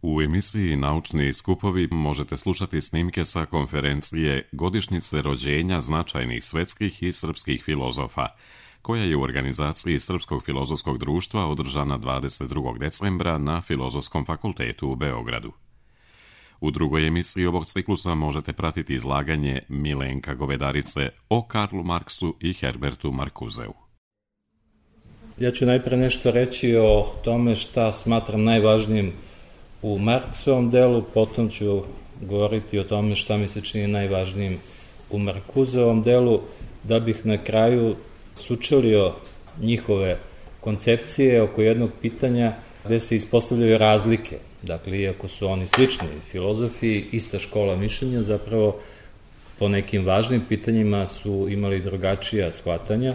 U emisiji Naučni skupovi možete slušati snimke sa konferencije Godišnjice rođenja značajnih svetskih i srpskih filozofa, koja je u organizaciji Srpskog filozofskog društva održana 22. decembra na Filozofskom fakultetu u Beogradu. U drugoj emisiji ovog ciklusa možete pratiti izlaganje Milenka Govedarice o Karlu Marksu i Herbertu Marcuseu. Ja ću najpre nešto reći o tome šta smatram najvažnijim u Marksovom delu, potom ću govoriti o tome šta mi se čini najvažnijim u Marcuseovom delu, da bih na kraju sučelio njihove koncepcije oko jednog pitanja gde se ispostavljaju razlike. Dakle, iako su oni slični filozofi, ista škola mišljenja, zapravo po nekim važnim pitanjima su imali drugačija shvatanja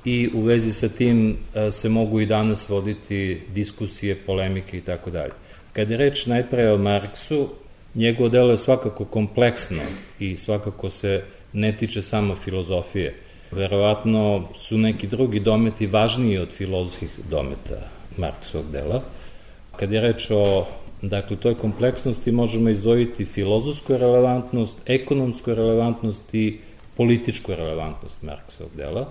i u vezi sa tim se mogu i danas voditi diskusije, polemike i tako dalje. Kad je reč najpre o Marksu, njegovo delo je svakako kompleksno i svakako se ne tiče samo filozofije. Verovatno su neki drugi dometi važniji od filozofskih dometa Marksovog dela. Kad je reč o toj kompleksnosti, možemo izdvojiti filozofsku relevantnost, ekonomsku relevantnost i političku relevantnost Marksovog dela.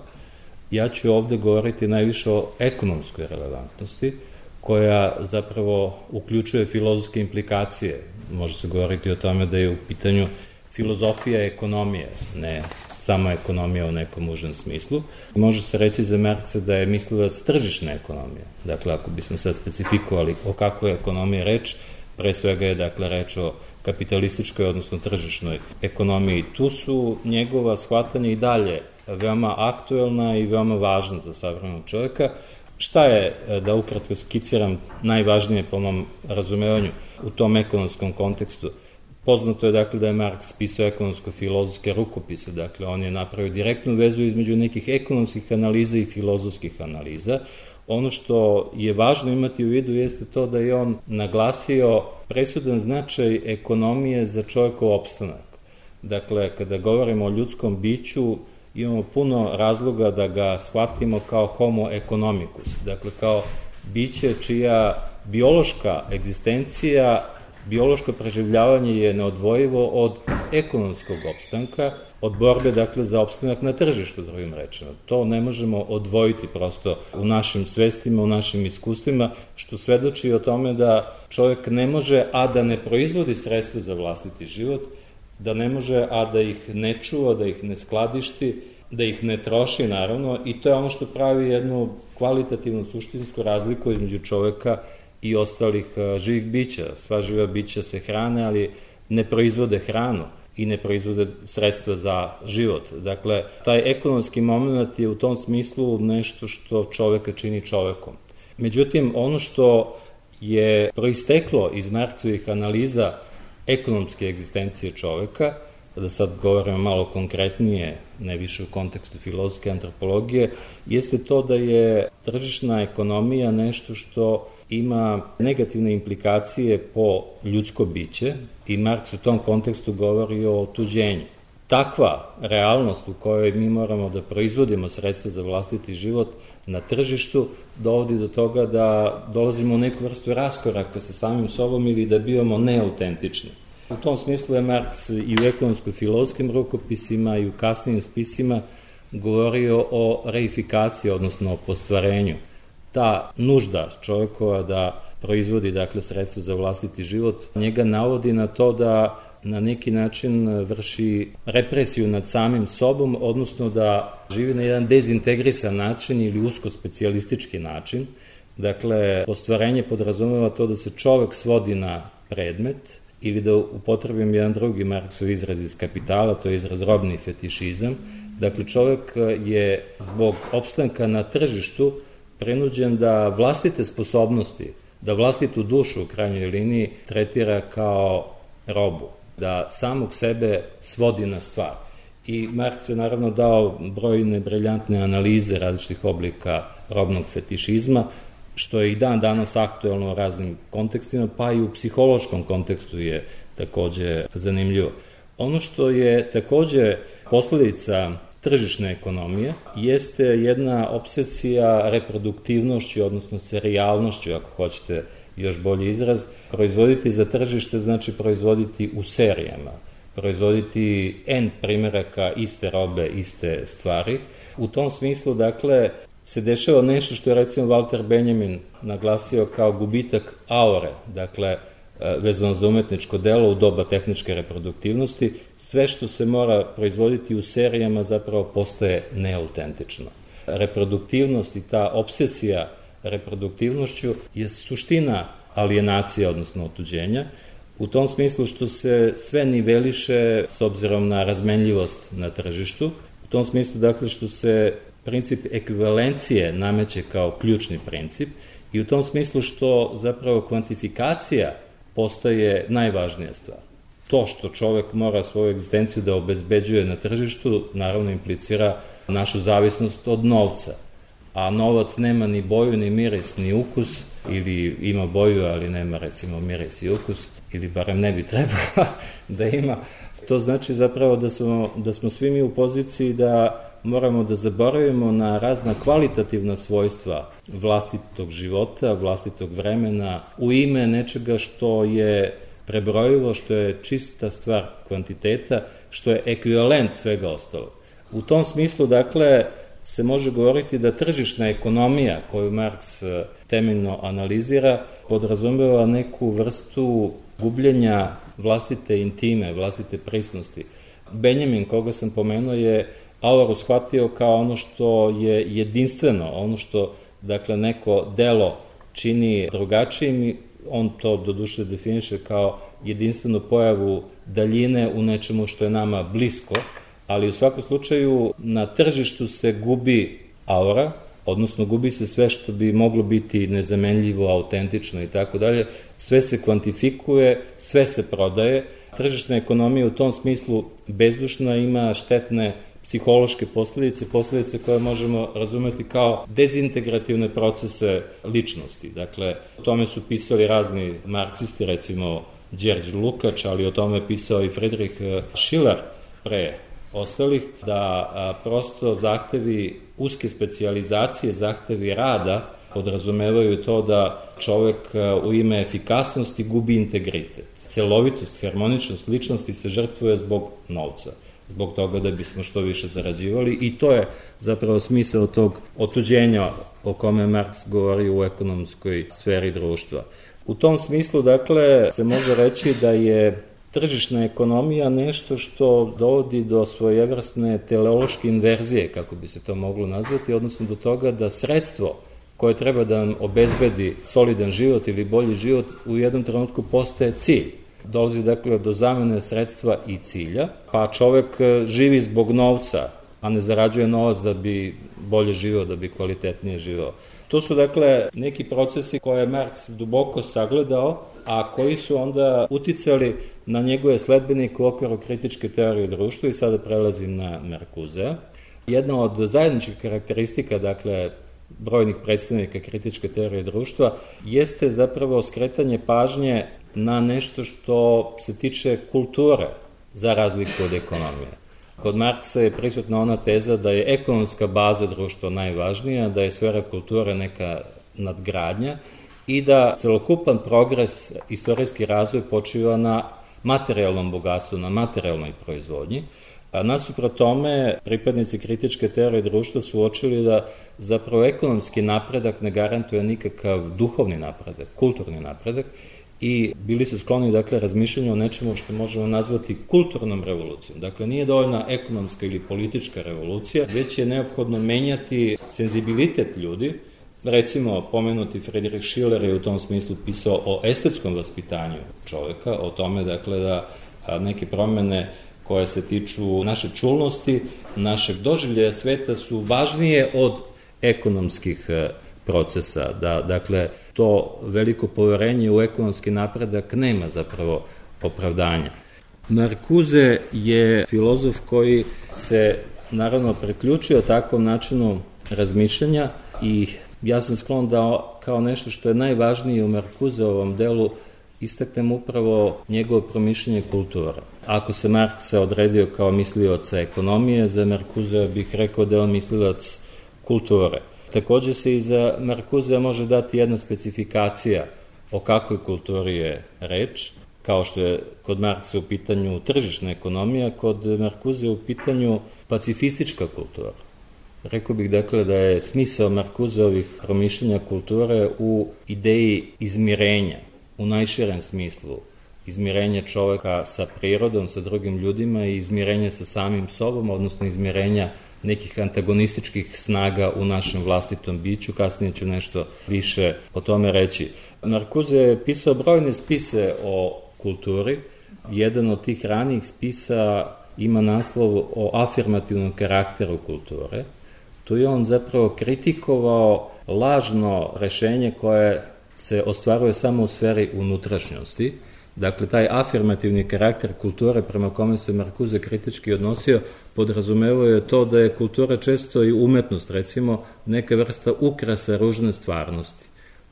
Ja ću ovde govoriti najviše o ekonomskoj relevantnosti, koja zapravo uključuje filozofske implikacije. Može se govoriti o tome da je u pitanju filozofija ekonomije, ne samo ekonomija u nekom užem smislu. Može se reći za Marksa da je mislilac tržišne ekonomije. Dakle, ako bismo sad specifikovali o kakvoj ekonomiji reč, pre svega je reč o kapitalističkoj, odnosno tržišnoj ekonomiji. Tu su njegova shvatanja i dalje veoma aktuelna i veoma važna za savremenog čovjeka. Šta je, da ukratko skiciram, najvažnije po mom razumevanju u tom ekonomskom kontekstu? Poznato je da je Marks pisao ekonomsko-filozofske rukopise, on je napravio direktnu vezu između nekih ekonomskih analiza i filozofskih analiza. Ono što je važno imati u vidu jeste to da je on naglasio presudan značaj ekonomije za čovjekov opstanak. Dakle, kada govorimo o ljudskom biću, imamo puno razloga da ga shvatimo kao homo economicus, dakle kao biće čija biološka egzistencija, biološko preživljavanje je neodvojivo od ekonomskog opstanka, od borbe za opstanak na tržištu, drugim rečima. To ne možemo odvojiti prosto u našim svestima, u našim iskustvima, što svedoči o tome da čovjek ne može, a da ne proizvodi sredstva za vlastiti život, da ne može, a da ih ne čuva, da ih ne skladišti, da ih ne troši, naravno, i to je ono što pravi jednu kvalitativnu suštinsku razliku između čoveka i ostalih živih bića. Sva živa bića se hrane, ali ne proizvode hranu i ne proizvode sredstva za život. Dakle, taj ekonomski moment je u tom smislu nešto što čoveka čini čovekom. Međutim, ono što je proisteklo iz Marksovih analiza ekonomske egzistencije čoveka, da sad govorimo malo konkretnije, ne više u kontekstu filozofske antropologije, jeste to da je tržišna ekonomija nešto što ima negativne implikacije po ljudsko biće i Marks u tom kontekstu govori o otuđenju. Takva realnost u kojoj mi moramo da proizvodimo sredstva za vlastiti život na tržištu dovodi do toga da dolazimo u neku vrstu raskoraka sa samim sobom ili da bivamo neautentični. U tom smislu je Marks i u ekonomsko-filozofskim rukopisima i u kasnijim spisima govorio o reifikaciji, odnosno o postvarenju. Ta nužda čovjekova da proizvodi sredstvo za vlastiti život njega navodi na to da na neki način vrši represiju nad samim sobom, odnosno da živi na jedan dezintegrisan način ili usko specijalistički način. Dakle, postvarenje podrazumeva to da se čovek svodi na predmet ili da upotrebim jedan drugi Marksov izraz iz Kapitala, to je izraz robni fetišizam. Dakle, čovek je zbog opstanka na tržištu prinuđen da vlastite sposobnosti, da vlastitu dušu u krajnjoj liniji tretira kao robu, da samog sebe svodi na stvar. I Marks je naravno dao brojne briljantne analize različitih oblika robnog fetišizma, što je i dan danas aktuelno u raznim kontekstima, pa i u psihološkom kontekstu je takođe zanimljivo. Ono što je takođe posledica tržišne ekonomije jeste jedna obsesija reproduktivnošću, odnosno serijalnošću, ako hoćete, još bolji izraz. Proizvoditi za tržište znači proizvoditi u serijama, proizvoditi N primjeraka iste robe, iste stvari. U tom smislu, dakle, se dešava nešto što je recimo Walter Benjamin naglasio kao gubitak aure, dakle, vezano za umetničko delo u doba tehničke reproduktivnosti, sve što se mora proizvoditi u serijama zapravo postaje neautentično. Reproduktivnost i ta obsesija reproduktivnošću je suština alijenacije, odnosno otuđenja, u tom smislu što se sve niveliše s obzirom na razmenljivost na tržištu, u tom smislu dakle što se princip ekvivalencije nameće kao ključni princip i u tom smislu što zapravo kvantifikacija postaje najvažnija stvar. To što čovek mora svoju egzistenciju da obezbeđuje na tržištu, naravno implicira našu zavisnost od novca. A novac nema ni boju, ni miris, ni ukus, ili ima boju, ali nema recimo miris i ukus, ili barem ne bi trebalo da ima. To znači zapravo da smo svi mi u poziciji da moramo da zaboravimo na razna kvalitativna svojstva vlastitog života, vlastitog vremena, u ime nečega što je prebrojivo, što je čista stvar kvantiteta, što je ekvivalent svega ostalog. U tom smislu, dakle, se može govoriti da tržišna ekonomija koju Marks temeljno analizira podrazumeva neku vrstu gubljenja vlastite intime, vlastite prisnosti. Benjamin, koga sam pomenuo, je auru shvatio kao ono što je jedinstveno, ono što, dakle, neko delo čini drugačijim, on to doduše definiše kao jedinstvenu pojavu daljine u nečemu što je nama blisko, ali u svakom slučaju na tržištu se gubi aura, odnosno gubi se sve što bi moglo biti nezamenljivo, autentično i tako dalje, sve se kvantifikuje, sve se prodaje. Tržišna ekonomija u tom smislu bezdušna, ima štetne psihološke posljedice koje možemo razumeti kao dezintegrativne procese ličnosti. Dakle, o tome su pisali razni marksisti, recimo Đerđ Lukač, ali o tome je pisao i Friedrich Schiller pre ostalih, da prosto zahtevi uske specijalizacije, zahtevi rada podrazumevaju to da čovek u ime efikasnosti gubi integritet. Celovitost, harmoničnost ličnosti se žrtvuje zbog novca, zbog toga da bismo što više zarađivali i to je zapravo smisao tog otuđenja o kome Marks govori u ekonomskoj sferi društva. U tom smislu, dakle, se može reći da je tržišna ekonomija nešto što dovodi do svojevrsne teleološke inverzije, kako bi se to moglo nazvati, odnosno do toga da sredstvo koje treba da nam obezbedi solidan život ili bolji život u jednom trenutku postaje cilj. Dolazi dakle do zamene sredstva i cilja, pa čovek živi zbog novca, a ne zarađuje novac da bi bolje živeo, da bi kvalitetnije živeo. To su dakle neki procesi koje je Marks duboko sagledao, a koji su onda uticali na njegove sledbenike u okviru kritičke teorije društva i sada prelazim na Marcusea. Jedna od zajedničkih karakteristika, dakle, brojnih predstavnika kritičke teorije društva, jeste zapravo skretanje pažnje na nešto što se tiče kulture, za razliku od ekonomije. Kod Marksa je prisutna ona teza da je ekonomska baza društva najvažnija, da je sfera kulture neka nadgradnja i da celokupan progres, istorijski razvoj počiva na materijalnom bogatstvu, na materijalnoj proizvodnji. A nasuprot tome, pripadnici kritičke teorije društva su uočili da zapravo ekonomski napredak ne garantuje nikakav duhovni napredak, kulturni napredak i bili su skloni, dakle, razmišljanju o nečemu što možemo nazvati kulturnom revolucijom. Dakle, nije dovoljna ekonomska ili politička revolucija, već je neophodno menjati senzibilitet ljudi. Recimo, pomenuti Friedrich Schiller je u tom smislu pisao o estetskom vaspitanju čoveka, o tome, dakle, da neke promene koje se tiču naše čulnosti, našeg doživljaja sveta su važnije od ekonomskih procesa, da, dakle, to veliko poverenje u ekonomski napredak nema zapravo opravdanja. Marcuse je filozof koji se naravno priključio takvom načinu razmišljanja i ja sam sklon da kao nešto što je najvažnije u Marcuseovom delu istaknem upravo njegovo promišljanje kulture. Ako se Marks odredio kao mislioca ekonomije, za Marcusea bih rekao da je on mislilac kulture. Takođe se i za Marcusea može dati jedna specifikacija o kakvoj kulturi je reč, kao što je kod Marksa u pitanju tržišna ekonomija, kod Markuze u pitanju pacifistička kultura. Rekao bih dakle da je smisao Markuzeovih promišljenja kulture u ideji izmirenja, u najširem smislu, izmirenja čoveka sa prirodom, sa drugim ljudima i izmirenja sa samim sobom, odnosno izmirenja nekih antagonističkih snaga u našem vlastitom biću. Kasnije ću nešto više o tome reći. Markuze je pisao brojne spise o kulturi. Jedan od tih ranijih spisa ima naslov o afirmativnom karakteru kulture. Tu je on zapravo kritikovao lažno rešenje koje se ostvaruje samo u sferi unutrašnjosti. Dakle, taj afirmativni karakter kulture prema kome se Markuze kritički odnosio podrazumevao je to da je kultura često i umetnost, recimo neka vrsta ukrasa ružne stvarnosti.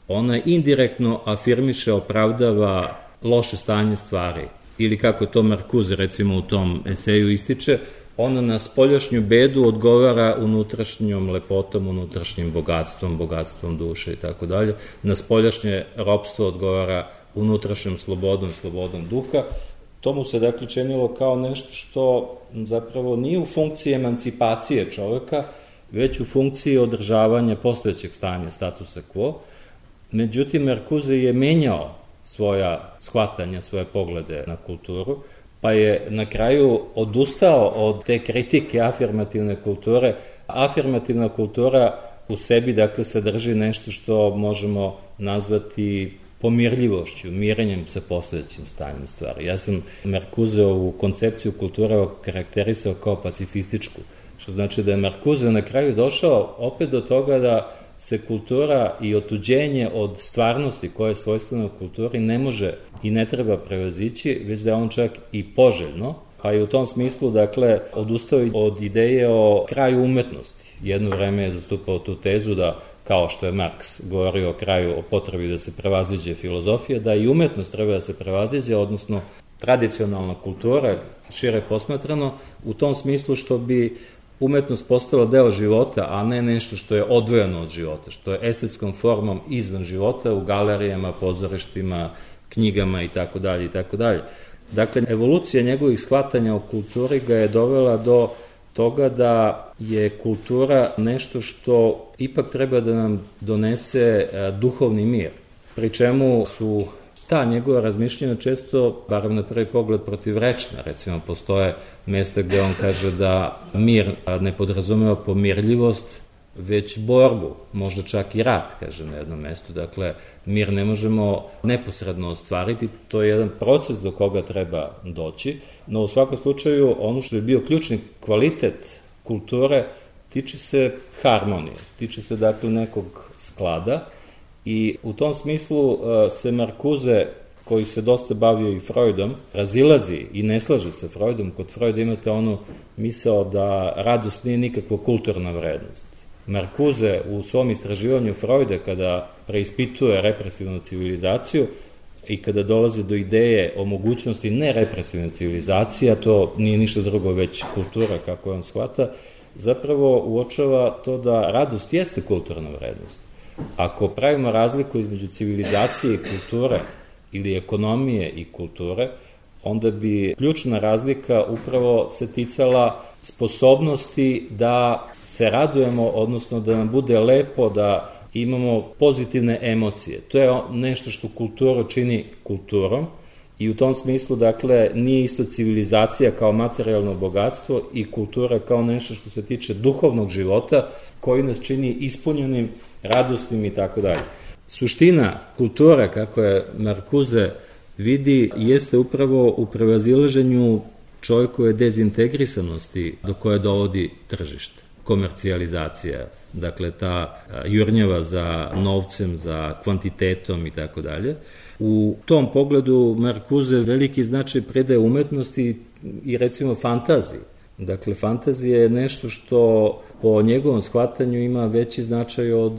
Ona indirektno afirmiše, opravdava loše stanje stvari. Ili kako to Markuze recimo u tom eseju ističe, ona na spoljašnju bedu odgovara unutrašnjom lepotom, unutrašnjim bogatstvom duše i tako dalje. Na spoljašnje ropstvo odgovara unutrašnjom slobodom duha. To mu se dakle činilo kao nešto što zapravo nije u funkciji emancipacije čoveka, već u funkciji održavanja postojećeg stanja, statusa quo. Međutim, Markuze je menjao svoja shvatanja, svoje poglede na kulturu, pa je na kraju odustao od te kritike afirmativne kulture. Afirmativna kultura u sebi, dakle, sadrži nešto što možemo nazvati pomirljivošću, mirenjem sa postojećim stanjem stvari. Ja sam Markuzeovu koncepciju kulture karakterisao kao pacifističku, što znači da je Markuze na kraju došao opet do toga da se kultura i otuđenje od stvarnosti koje je svojstveno kulturi ne može i ne treba prevazići, već da je on čak i poželjno, pa je u tom smislu, dakle, odustao od ideje o kraju umetnosti. Jedno vreme je zastupao tu tezu da, kao što je Marks govorio o kraju, o potrebi da se prevaziđe filozofija, da i umetnost treba da se prevaziđe, odnosno tradicionalna kultura, šire posmatrano, u tom smislu što bi umetnost postala deo života, a ne nešto što je odvojeno od života, što je estetskom formom izvan života u galerijama, pozorištima, knjigama itd. Dakle, evolucija njegovih shvatanja o kulturi ga je dovela do toga da je kultura nešto što ipak treba da nam donese duhovni mir, pri čemu su ta njegova razmišljenja često, barem na prvi pogled, protivrečna. Recimo, postoje mesta gde on kaže da mir ne podrazumeva pomirljivost, već borbu, možda čak i rat, kaže na jednom mestu. Dakle, mir ne možemo neposredno ostvariti, to je jedan proces do koga treba doći, no u svakom slučaju ono što je bio ključni kvalitet kulture tiče se harmonije, tiče se dakle nekog sklada i u tom smislu se Markuze, koji se dosta bavio i Freudom, razilazi i ne slaže se Freudom. Kod Freuda imate onu misao da radost nije nikakva kulturna vrednost. Markuze u svom istraživanju Freuda, kada preispituje represivnu civilizaciju i kada dolazi do ideje o mogućnosti nerepresivne civilizacije, a to nije ništa drugo već kultura kako on shvata, zapravo uočava to da radost jeste kulturna vrednost. Ako pravimo razliku između civilizacije i kulture ili ekonomije i kulture, onda bi ključna razlika upravo se ticala sposobnosti da se radujemo, odnosno da nam bude lepo, da imamo pozitivne emocije. To je nešto što kulturu čini kulturom i u tom smislu, dakle, nije isto civilizacija kao materijalno bogatstvo i kultura kao nešto što se tiče duhovnog života koji nas čini ispunjenim, radosnim i tako dalje. Suština kultura, kako je Markuze vidi, jeste upravo u prevazilaženju čovjekove dezintegrisanosti do koje dovodi tržište, komercijalizacija, dakle ta jurnjava za novcem, za kvantitetom i tako dalje. U tom pogledu Markuze veliki značaj predaje umetnosti i recimo fantaziji. Dakle, fantazija je nešto što po njegovom shvatanju ima veći značaj od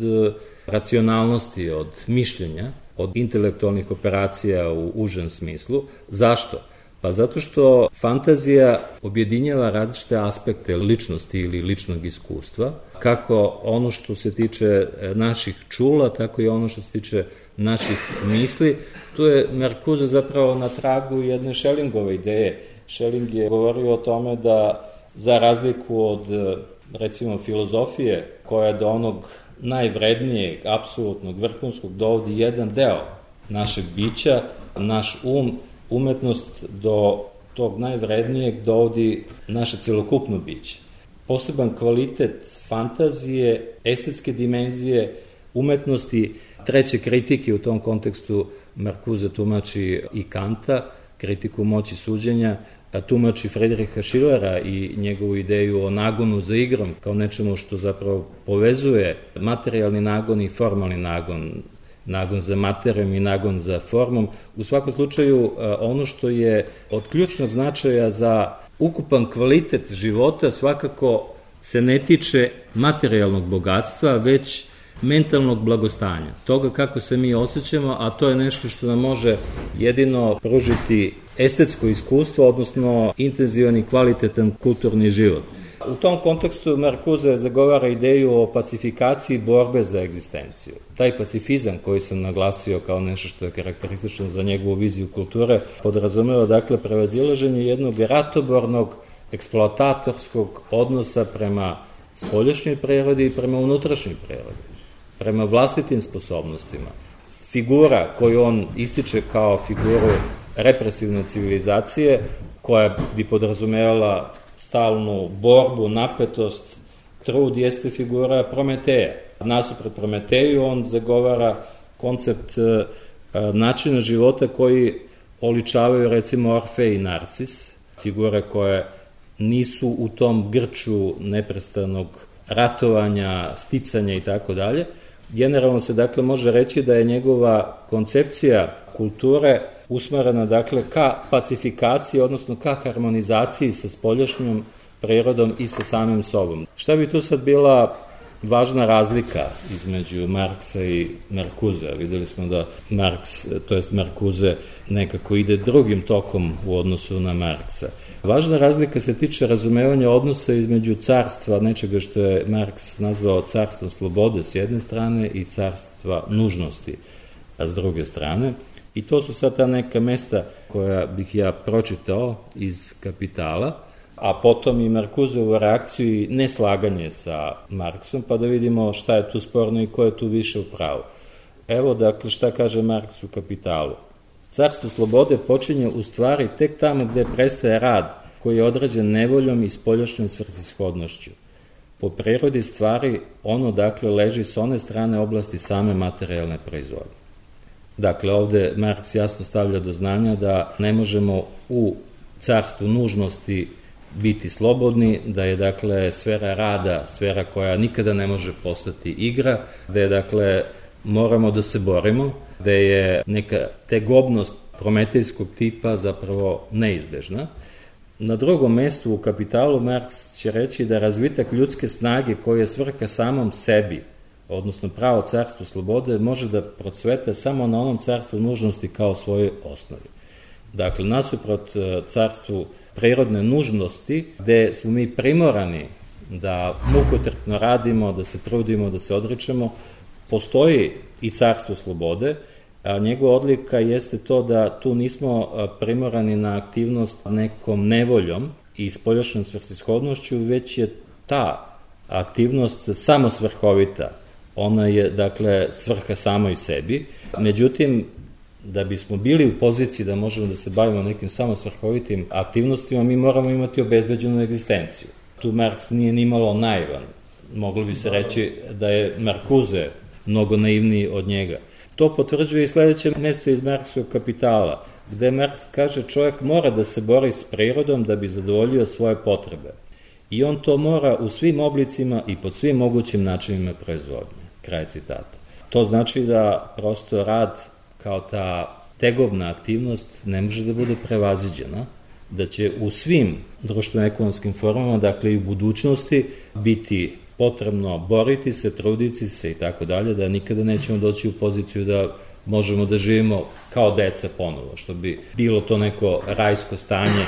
racionalnosti, od mišljenja, od intelektualnih operacija u užem smislu. Zašto? Pa zato što fantazija objedinjava različite aspekte ličnosti ili ličnog iskustva, kako ono što se tiče naših čula, tako i ono što se tiče naših misli. Tu je Marcuse zapravo na tragu jedne Schellingove ideje. Schelling je govorio o tome da za razliku od recimo filozofije koja do onog najvrednijeg, apsolutnog, vrhunskog dovodi jedan deo našeg bića, naš umetnost do tog najvrednijeg dovodi naše celokupno biće. Poseban kvalitet fantazije, estetske dimenzije, umetnosti, treće kritike u tom kontekstu Marcuse tumači i Kanta, kritiku moći suđenja, tumači Friedricha Schillera i njegovu ideju o nagonu za igrom kao nečemu što zapravo povezuje materijalni nagon i formalni nagon, nagon za materijom i nagon za formom. U svakom slučaju, ono što je od ključnog značaja za ukupan kvalitet života svakako se ne tiče materijalnog bogatstva, već mentalnog blagostanja, toga kako se mi osjećamo, a to je nešto što nam može jedino pružiti estetsko iskustvo, odnosno intenzivan i kvalitetan kulturni život. U tom kontekstu Marcuse zagovara ideju o pacifikaciji borbe za egzistenciju. Taj pacifizam koji sam naglasio kao nešto što je karakteristično za njegovu viziju kulture podrazumeva dakle prevazilaženje jednog ratobornog eksploatatorskog odnosa prema spoljašnjoj prirodi i prema unutrašnjoj prirodi, prema vlastitim sposobnostima. Figura koju on ističe kao figuru represivne civilizacije, koja bi podrazumevala stalnu borbu, napetost, trud, jeste figura Prometeja. Nasuprot Prometeju on zagovara koncept načina života koji oličavaju recimo Orfej i Narcis, figure koje nisu u tom grču neprestanog ratovanja, sticanja i tako dalje. Generalno se dakle može reći da je njegova koncepcija kulture usmerena dakle ka pacifikaciji, odnosno ka harmonizaciji sa spoljašnjom prirodom i sa samim sobom. Šta bi tu sad bila važna razlika između Marksa i Marcuse? Videli smo da Marks, to jest Marcuse, nekako ide drugim tokom u odnosu na Marksa. Važna razlika se tiče razumevanja odnosa između carstva, nečega što je Marks nazvao carstvo slobode s jedne strane i carstva nužnosti s druge strane. I to su sad ta neka mesta koja bih ja pročitao iz Kapitala, a potom i Marcuseovu reakciju i neslaganje sa Marksom, pa da vidimo šta je tu sporno i ko je tu više u pravu. Evo dakle šta kaže Marks u Kapitalu. Carstvo slobode počinje u stvari tek tamo gde prestaje rad koji je određen nevoljom i spoljašnjom svrsishodnošću. Po prirodi stvari ono dakle leži s one strane oblasti same materijalne proizvodnje. Dakle, ovde Marks jasno stavlja do znanja da ne možemo u carstvu nužnosti biti slobodni, da je dakle sfera rada, sfera koja nikada ne može postati igra, da je dakle moramo da se borimo, da je neka tegobnost prometejskog tipa zapravo neizbežna. Na drugom mestu u Kapitalu Marks će reći da razvitak ljudske snage koji je svrha samom sebi, odnosno pravo carstvo slobode, može da procveta samo na onom carstvu nužnosti kao svojoj osnovi. Dakle, nasuprot carstvu prirodne nužnosti, gde smo mi primorani da mukotrpno radimo, da se trudimo, da se odričemo, postoji i carstvo slobode, a njegova odlika jeste to da tu nismo primorani na aktivnost nekom nevoljom i spoljašnjom svrsishodnošću, već je ta aktivnost samosvrhovita. Ona je, dakle, svrha samoj sebi. Međutim, da bismo bili u poziciji da možemo da se bavimo nekim samosvrhovitim aktivnostima, mi moramo imati obezbeđenu egzistenciju. Tu Marks nije nimalo naivan. Moglo bi se reći da je Marcuse mnogo naivniji od njega. To potvrđuje i sledeće mesto iz Marksovog Kapitala, gde Marks kaže čovjek mora da se bori s prirodom da bi zadovoljio svoje potrebe. I on to mora u svim oblicima i pod svim mogućim načinima proizvodnje. Kraj citata. To znači da prosto rad kao ta tegobna aktivnost ne može da bude prevaziđena, da će u svim društveno-ekonomskim formama, dakle i u budućnosti, biti potrebno boriti se, truditi se i tako dalje, da nikada nećemo doći u poziciju da možemo da živimo kao deca ponovo, što bi bilo to neko rajsko stanje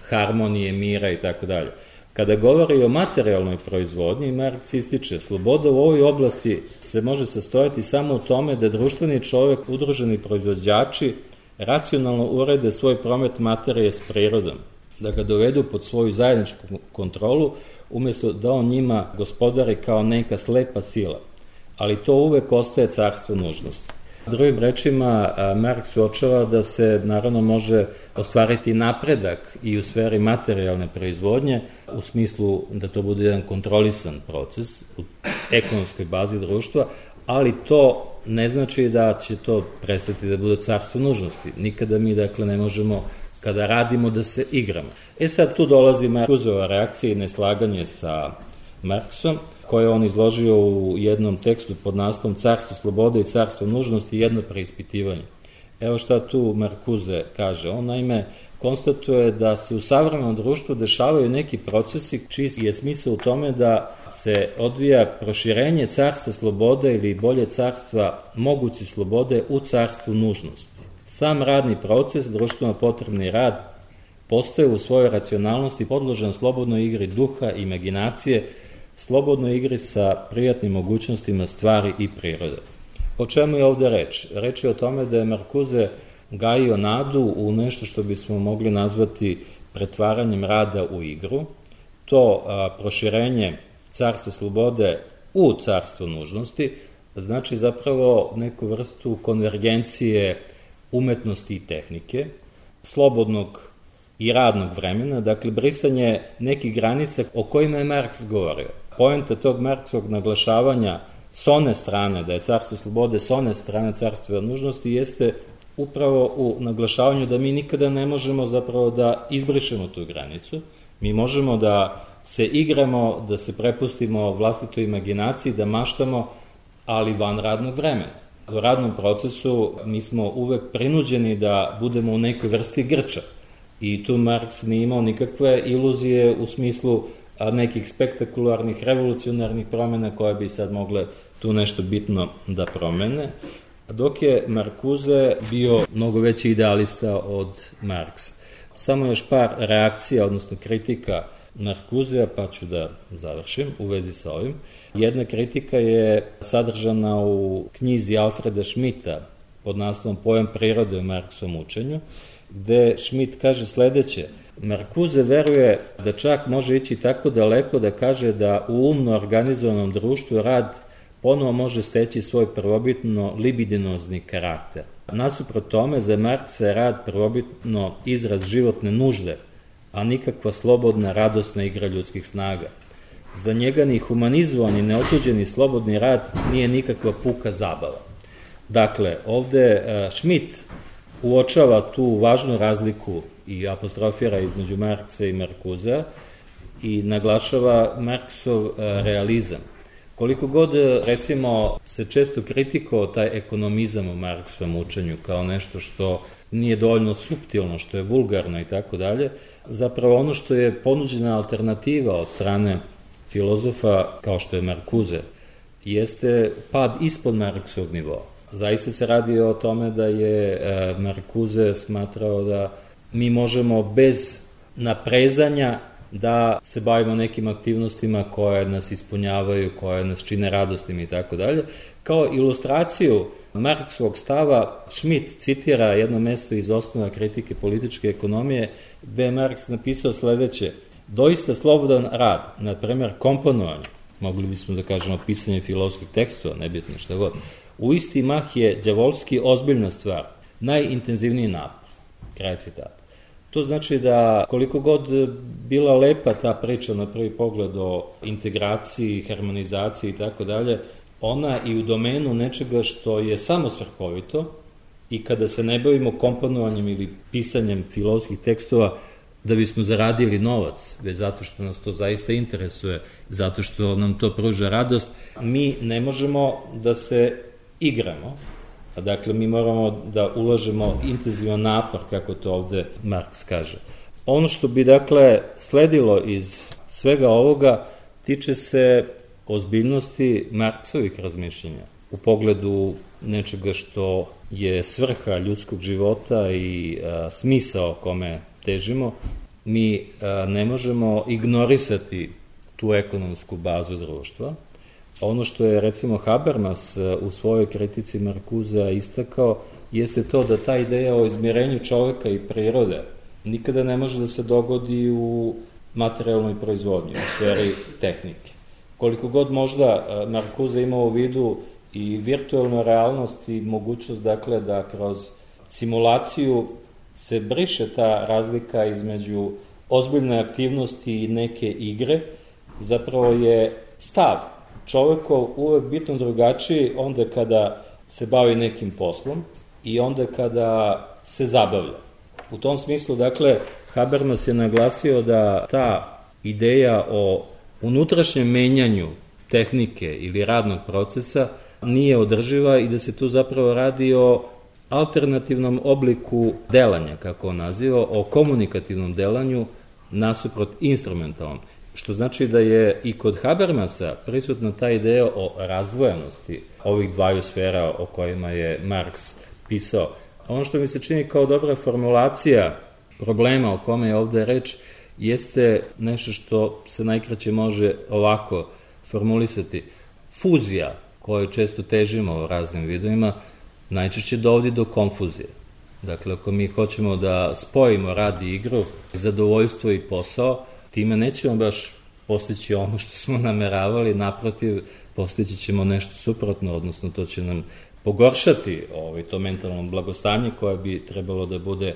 harmonije, mira i tako dalje. Kada govori o materijalnoj proizvodnji, Marks ističe, sloboda u ovoj oblasti se može sastojati samo u tome da društveni čovek, udruženi proizvođači, racionalno urede svoj promet materije s prirodom, da ga dovedu pod svoju zajedničku kontrolu, umesto da on njima gospodari kao neka slepa sila. Ali to uvek ostaje carstvo nužnosti. Drugim rečima, Marks uočava da se naravno može ostvariti napredak i u sferi materijalne proizvodnje, u smislu da to bude jedan kontrolisan proces u ekonomskoj bazi društva, ali to ne znači da će to prestati da bude carstvo nužnosti. Nikada mi, dakle, ne možemo kada radimo da se igramo. Sad tu dolazi Markuzova reakcija i neslaganje sa Marksom, koje on izložio u jednom tekstu pod naslovom Carstvo slobode i carstvo nužnosti, jedno preispitivanje. Evo šta tu Markuze kaže. On naime konstatuje da se u savremenom društvu dešavaju neki procesi čiji je smisao u tome da se odvija proširenje carstva slobode ili bolje carstva moguće slobode u carstvu nužnosti. Sam radni proces, društveno potrebni rad, postaje u svojoj racionalnosti podložan slobodnoj igri duha, imaginacije, slobodnoj igri sa prijatnim mogućnostima stvari i prirode. O čemu je ovde reč? Reč je o tome da je Markuze gajio nadu u nešto što bismo mogli nazvati pretvaranjem rada u igru. To proširenje carstva slobode u carstvo nužnosti znači zapravo neku vrstu konvergencije umetnosti i tehnike, slobodnog i radnog vremena, dakle brisanje nekih granica o kojima je Marks govorio. Poenta tog Marksovog naglašavanja s one strane, da je carstvo slobode s one strane carstva nužnosti, jeste upravo u naglašavanju da mi nikada ne možemo zapravo da izbrišemo tu granicu. Mi možemo da se igramo, da se prepustimo vlastitoj imaginaciji, da maštamo, ali van radnog vremena. U radnom procesu mi smo uvek prinuđeni da budemo u nekoj vrsti grča. I tu Marks nije imao nikakve iluzije u smislu nekih spektakularnih, revolucionarnih promena koje bi sad mogle tu nešto bitno da promene, dok je Markuze bio mnogo veći idealista od Marksa. Samo još par reakcija, odnosno kritika Markuzea, pa ću da završim u vezi sa ovim. Jedna kritika je sadržana u knjizi Alfreda Schmidta pod naslovom Pojam prirode u Marksovom učenju, gde Schmidt kaže sledeće: Markuze veruje da čak može ići tako daleko da kaže da u umno organizovanom društvu rad ponovo može steći svoj prvobitno libidinozni karakter. Nasuprot tome, za Marksa je rad prvobitno izraz životne nužde, a nikakva slobodna, radosna igra ljudskih snaga. Za njega ni humanizovan i neotuđeni slobodni rad nije nikakva puka zabava. Dakle, ovde Schmidt uočava tu važnu razliku i apostrofira između Marksa i Markuzea i naglašava Marksov realizam. Koliko god, recimo, se često kritikovao taj ekonomizam u Marksovom učenju kao nešto što nije dovoljno suptilno, što je vulgarno i tako dalje, zapravo ono što je ponuđena alternativa od strane filozofa kao što je Markuze, jeste pad ispod Marksovog nivoa. Zaista se radi o tome da je Markuze smatrao da mi možemo bez naprezanja da se bavimo nekim aktivnostima koje nas ispunjavaju, koje nas čine radosnim i tako dalje. Kao ilustraciju Marksovog stava, Schmidt citira jedno mesto iz osnova kritike političke ekonomije, gde je Marks napisao sledeće: doista slobodan rad, na primer komponovanje, mogli bismo da kažemo pisanje filozofskih tekstova, nebitno šta god, u isti mah je đavolski ozbiljna stvar, najintenzivniji napor. Kraj citata. To znači da koliko god bila lepa ta priča na prvi pogled o integraciji, harmonizaciji i tako dalje, ona i u domenu nečega što je samo svrhovito i kada se ne bavimo komponovanjem ili pisanjem filozofskih tekstova da bismo zaradili novac, već zato što nas to zaista interesuje, zato što nam to pruža radost, mi ne možemo da se igramo. Dakle, mi moramo da ulažemo intenzivan napor, kako to ovde Marks kaže. Ono što bi, dakle, sledilo iz svega ovoga tiče se ozbiljnosti Marksovih razmišljenja u pogledu nečega što je svrha ljudskog života i smisao kome težimo, mi ne možemo ignorisati tu ekonomsku bazu društva. Ono što je recimo Habermas u svojoj kritici Marcusea istakao jeste to da ta ideja o izmirenju čoveka i prirode nikada ne može da se dogodi u materijalnoj proizvodnji, u sferi tehnike. Koliko god možda Marcuse imao u vidu i virtualnu realnost i mogućnost dakle da kroz simulaciju se briše ta razlika između ozbiljne aktivnosti i neke igre, zapravo je stav čovekov uvek bitno drugačiji onda kada se bavi nekim poslom i onda kada se zabavlja. U tom smislu, dakle, Habermas je naglasio da ta ideja o unutrašnjem menjanju tehnike ili radnog procesa nije održiva i da se tu zapravo radi o alternativnom obliku delanja, kako on naziva, o komunikativnom delanju nasuprot instrumentalnom. Što znači da je i kod Habermasa prisutna ta ideja o razdvojenosti ovih dvaju sfera o kojima je Marks pisao. Ono što mi se čini kao dobra formulacija problema o kome je ovde reč jeste nešto što se najkraće može ovako formulisati. Fuzija, koju često težimo u raznim vidovima, najčešće dovodi do konfuzije. Dakle, ako mi hoćemo da spojimo rad i igru, zadovoljstvo i posao, time nećemo baš postići ono što smo nameravali, naprotiv, postići ćemo nešto suprotno, odnosno to će nam pogoršati to mentalno blagostanje koje bi trebalo da bude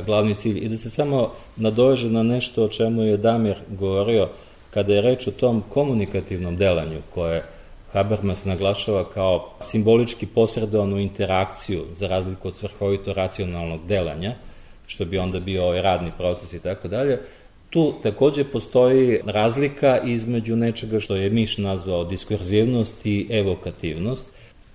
glavni cilj. I da se samo nadoveže na nešto o čemu je Damir govorio, kada je reč o tom komunikativnom delanju koje Habermas naglašava kao simbolički posredovanu interakciju za razliku od svrhovito racionalnog delanja, što bi onda bio radni proces i tako dalje. Tu takođe postoji razlika između nečega što je Miš nazvao diskurzivnost i evokativnost.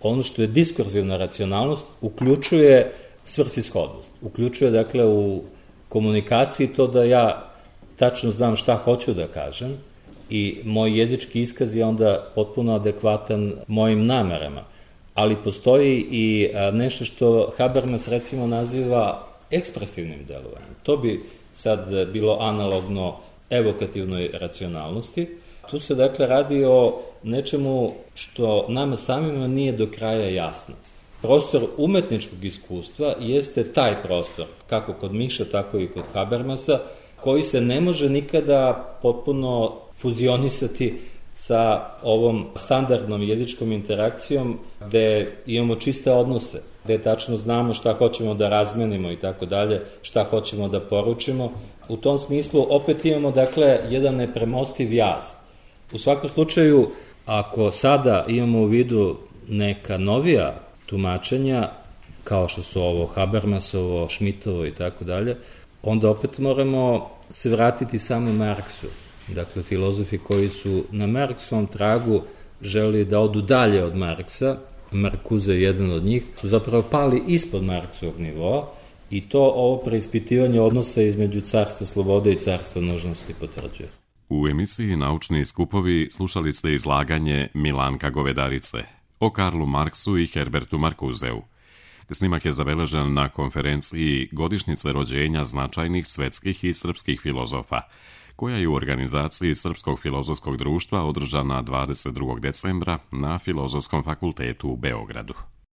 Ono što je diskurzivna racionalnost uključuje svrsishodnost. Uključuje, dakle, u komunikaciji to da ja tačno znam šta hoću da kažem i moj jezički iskaz je onda potpuno adekvatan mojim namerama. Ali postoji i nešto što Habermas recimo naziva ekspresivnim delovanjem. To bi sad bilo analogno evokativnoj racionalnosti. Tu se dakle radi o nečemu što nama samima nije do kraja jasno. Prostor umetničkog iskustva jeste taj prostor, kako kod Miša, tako i kod Habermasa, koji se ne može nikada potpuno fuzionisati sa ovom standardnom jezičkom interakcijom gde imamo čiste odnose, gde tačno znamo šta hoćemo da razmenimo i tako dalje, šta hoćemo da poručimo. U tom smislu opet imamo, dakle, jedan nepremostiv jaz. U svakom slučaju, ako sada imamo u vidu neka novija tumačenja, kao što su ovo Habermasovo, Schmidtovo i tako dalje, onda opet moramo se vratiti samo Marksu. Dakle, filozofi koji su na Marksovom tragu želi da odu dalje od Marksa, Marcuse je jedan od njih, su zapravo pali ispod Marksovog nivoa i to ovo preispitivanje odnosa između carstva slobode i carstva nužnosti potvrđuje. U emisiji Naučni skupovi slušali ste izlaganje Milanka Govedarice o Karlu Marksu i Herbertu Marcuseu. Snimak je zabeležen na konferenciji Godišnjice rođenja značajnih svetskih i srpskih filozofa, koja je u organizaciji Srpskog filozofskog društva održana 22. decembra na Filozofskom fakultetu u Beogradu.